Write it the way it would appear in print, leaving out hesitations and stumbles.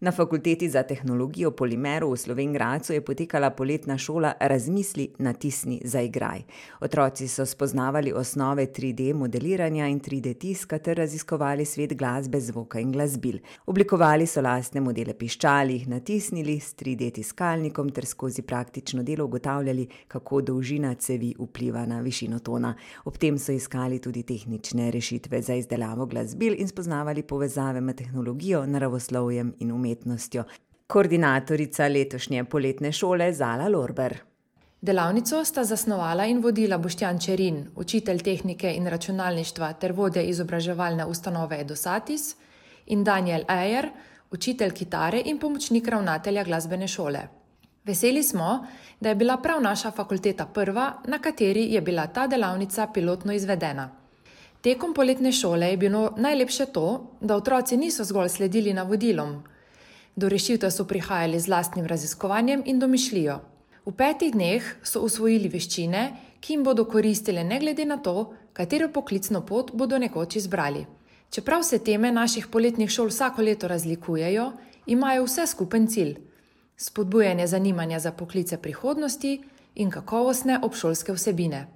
Na Fakulteti za tehnologijo polimerov v Slovenj Gradcu je potekala poletna šola Razmisli, natisni, zaigraj. Otroci so spoznavali osnove 3D modeliranja in 3D tiska ter raziskovali svet glasbe, zvoka in glasbil. Oblikovali so lastne modele piščal, jih natisnili s 3D tiskalnikom ter skozi praktično delo ugotavljali, kako dolžina cevi vpliva na višino tona. Ob tem so iskali tudi tehnične rešitve za izdelavo glasbil in spoznavali povezave med tehnologijo, naravoslovjem in umetnostjo. Koordinatorica letošnje poletne šole Zala Lorber. Delavnico sta zasnovala in vodila Boštjan Čerin, učitelj tehnike in računalništva ter vodja izobraževalne ustanove Edosatis, in Daniel Ejer, učitelj kitare in pomočnik ravnatelja glasbene šole. Veseli smo, da je bila prav naša fakulteta prva, na kateri je bila ta delavnica pilotno izvedena. Tekom poletne šole je bilo najlepše to, da otroci niso zgolj sledili navodilom. Do rešitev so prihajali z lastnim raziskovanjem in domišljijo. V 5 dneh so usvojili veščine, ki jim bodo koristile ne glede na to, katero poklicno pot bodo nekoč izbrali. Čeprav se teme naših poletnih šol vsako leto razlikujejo, imajo vse skupen cilj: spodbujanje zanimanja za poklice prihodnosti in kakovostne obšolske vsebine.